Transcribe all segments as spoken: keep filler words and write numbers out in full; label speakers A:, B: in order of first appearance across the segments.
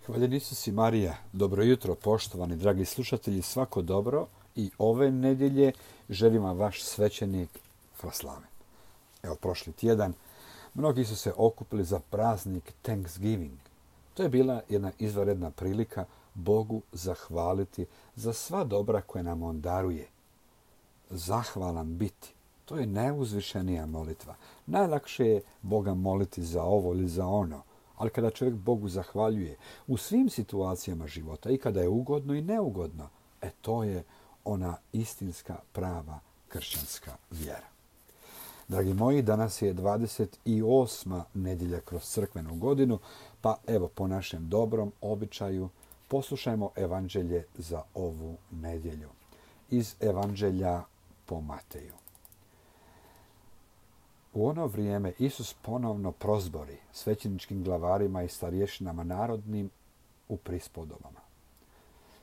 A: Hvaljen Isus i Marija, dobro jutro poštovani dragi slušatelji, svako dobro i ove nedjelje želim vam vaš svećenik Fraslaven. Evo prošli tjedan mnogi su se okupili za praznik Thanksgiving. To je bila jedna izvanredna prilika Bogu zahvaliti za sva dobra koje nam On daruje. Zahvalan biti, to je najuzvišenija molitva. Najlakše je Boga moliti za ovo ili za ono. Ali kada čovjek Bogu zahvaljuje u svim situacijama života, i kada je ugodno i neugodno, e to je ona istinska, prava kršćanska vjera. Dragi moji, danas je dvadeset osma nedjelja kroz crkvenu godinu, pa evo po našem dobrom običaju poslušajmo evanđelje za ovu nedjelju. Iz evanđelja po Mateju. U ono vrijeme Isus ponovno prozbori svećeničkim glavarima i starješinama narodnim u prispodobama.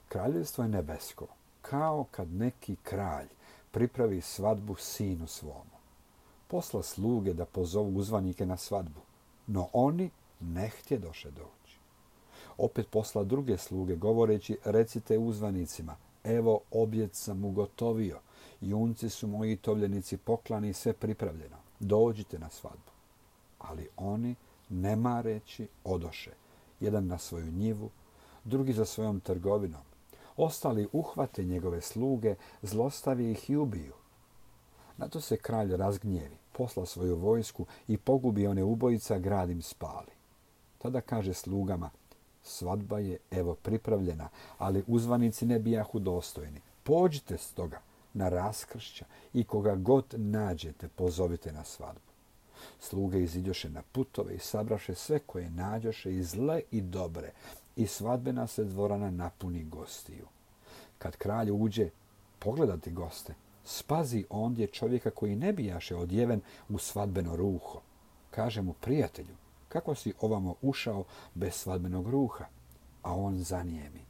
A: Kraljevstvo je nebesko, kao kad neki kralj pripravi svadbu sinu svomu. Posla sluge da pozovu uzvanike na svadbu, no oni ne htjedoše doći. Opet posla druge sluge govoreći, recite uzvanicima, evo objed sam ugotovio, junci su moji tovljenici poklani, sve pripravljeno. Dođite na svadbu. Ali oni, ne mareći, odoše. Jedan na svoju njivu, drugi za svojom trgovinom. Ostali uhvate njegove sluge, zlostavi ih i ubiju. Na to se kralj razgnjevi, posla svoju vojsku i pogubi one ubojica, grad im spali. Tada kaže slugama, svadba je evo pripravljena, ali uzvanici ne bijahu dostojni. Pođite stoga na raskršća i koga god nađete pozovite na svadbu. Sluge iziđoše na putove i sabraše sve koje nađoše i zle i dobre i svadbena se dvorana napuni gostiju. Kad kralj uđe pogledati goste, spazi ondje čovjeka koji ne bijaše odjeven u svadbeno ruho. Kaže mu, prijatelju, kako si ovamo ušao bez svadbenog ruha? A on zanijemi.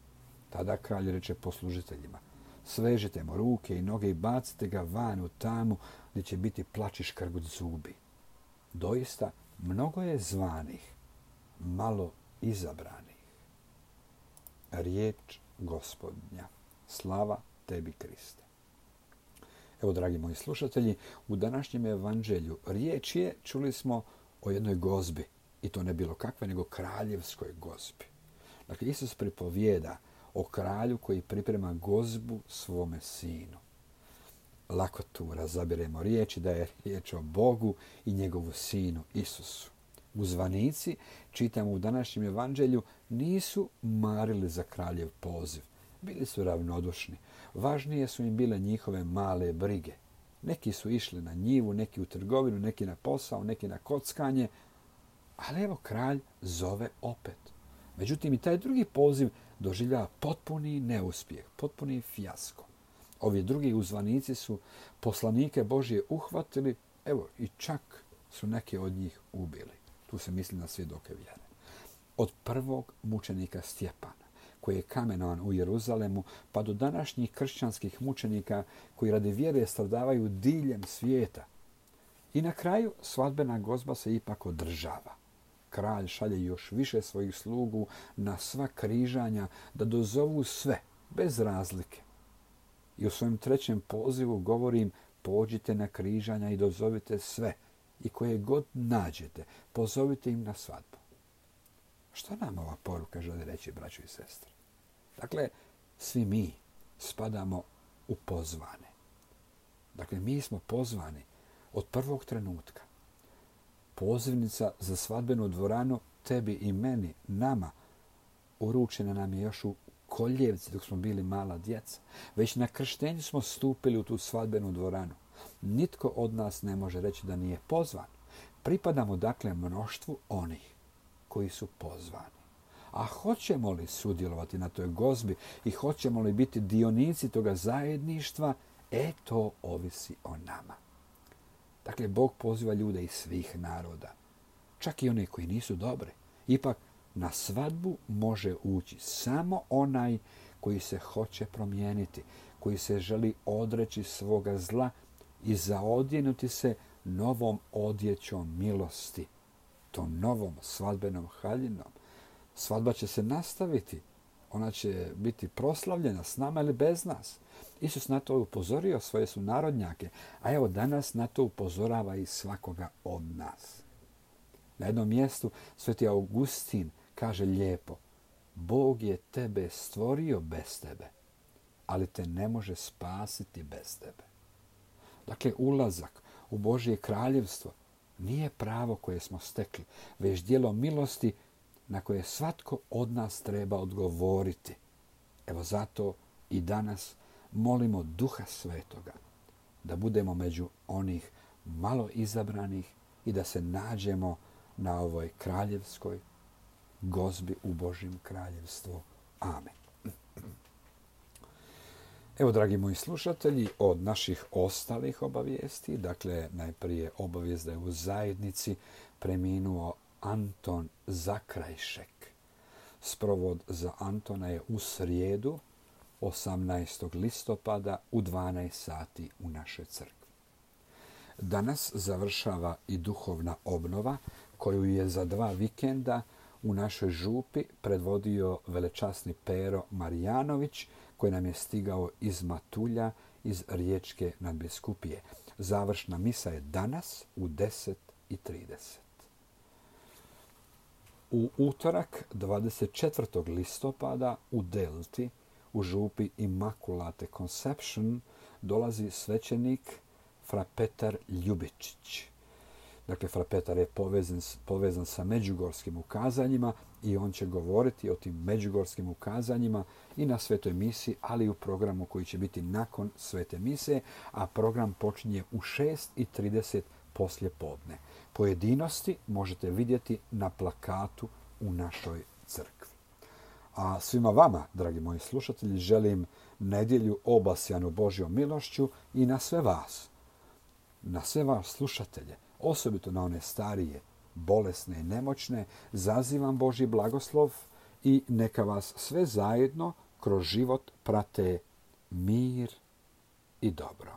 A: Tada kralj reče poslužiteljima, svežite mu ruke i noge i bacite ga van u tamu gdje će biti plač i škrgut zubi. Doista, mnogo je zvanih, malo izabranih. Riječ Gospodnja. Slava tebi, Kriste. Evo, dragi moji slušatelji, u današnjem evanđelju riječ je, čuli smo, o jednoj gozbi. I to ne bilo kakve, nego kraljevskoj gozbi. Dakle, Isus pripovijeda o kralju koji priprema gozbu svome sinu. Lako tu razabiremo riječi da je riječ o Bogu i njegovu sinu Isusu. Uzvanici, čitamo u današnjem evanđelju, nisu marili za kraljev poziv. Bili su ravnodušni. Važnije su im bile njihove male brige. Neki su išli na njivu, neki u trgovinu, neki na posao, neki na kockanje. Ali evo kralj zove opet. Međutim, i taj drugi poziv doživljava potpuni neuspjeh, potpuni fijasko. Ovi drugi uzvanici su poslanike Božje uhvatili, evo i čak su neke od njih ubili. Tu se misli na svjedoke vjere. Od prvog mučenika Stjepana, koji je kamenovan u Jeruzalemu, pa do današnjih kršćanskih mučenika koji radi vjere stradavaju diljem svijeta. I na kraju svadbena gozba se ipak održava. Kralj šalje još više svojih slugu na sva križanja da dozovu sve, bez razlike. I u svojem trećem pozivu govorim, pođite na križanja i dozovite sve i koje god nađete, pozovite im na svadbu. Što nam ova poruka želi reći, braćo i sestre? Dakle, svi mi spadamo u pozvane. Dakle, mi smo pozvani od prvog trenutka. Pozivnica za svadbenu dvoranu tebi i meni, nama, uručena nam je još u koljevci dok smo bili mala djeca. Već na krštenju smo stupili u tu svadbenu dvoranu. Nitko od nas ne može reći da nije pozvan. Pripadamo dakle mnoštvu onih koji su pozvani. A hoćemo li sudjelovati na toj gozbi i hoćemo li biti dionici toga zajedništva, e to ovisi o nama. Dakle, Bog poziva ljude iz svih naroda, čak i one koji nisu dobri. Ipak, na svadbu može ući samo onaj koji se hoće promijeniti, koji se želi odreći svoga zla i zaodjenuti se novom odjećom milosti, tom novom svadbenom haljinom, Svadba će se nastaviti. Ona će biti proslavljena s nama ili bez nas. Isus na to upozorio svoje sunarodnjake, a evo danas na to upozorava i svakoga od nas. Na jednom mjestu sveti Augustin kaže lijepo: Bog je tebe stvorio bez tebe, ali te ne može spasiti bez tebe. Dakle, ulazak u Božje kraljevstvo nije pravo koje smo stekli, već djelo milosti na koje svatko od nas treba odgovoriti. Evo zato i danas molimo Duha Svetoga da budemo među onih malo izabranih i da se nađemo na ovoj kraljevskoj gozbi u Božjem kraljevstvu. Amen. Evo, dragi moji slušatelji, od naših ostalih obavijesti, dakle, najprije obavijest da je u zajednici preminuo Anton Zakrajšek. Sprovod za Antona je u srijedu, osamnaestog listopada u dvanaest sati u našoj crkvi. Danas završava i duhovna obnova koju je za dva vikenda u našoj župi predvodio velečasni Pero Marijanović, koji nam je stigao iz Matulja, iz Riječke nadbiskupije. Završna misa je danas u deset i trideset. U utorak dvadeset četvrtog listopada u Delti, u župi Immaculate Conception, dolazi svećenik fra Petar Ljubičić. Dakle, fra Petar je povezan, povezan sa međugorskim ukazanjima i on će govoriti o tim međugorskim ukazanjima i na svetoj misi, ali i u programu koji će biti nakon svete mise, a program počinje u šest i trideset poslje podne. Pojedinosti možete vidjeti na plakatu u našoj crkvi. A svima vama, dragi moji slušatelji, želim nedjelju obasjanu Božjom milošću i na sve vas, na sve vas slušatelje, osobito na one starije, bolesne i nemoćne, zazivam Božji blagoslov i neka vas sve zajedno kroz život prate mir i dobro.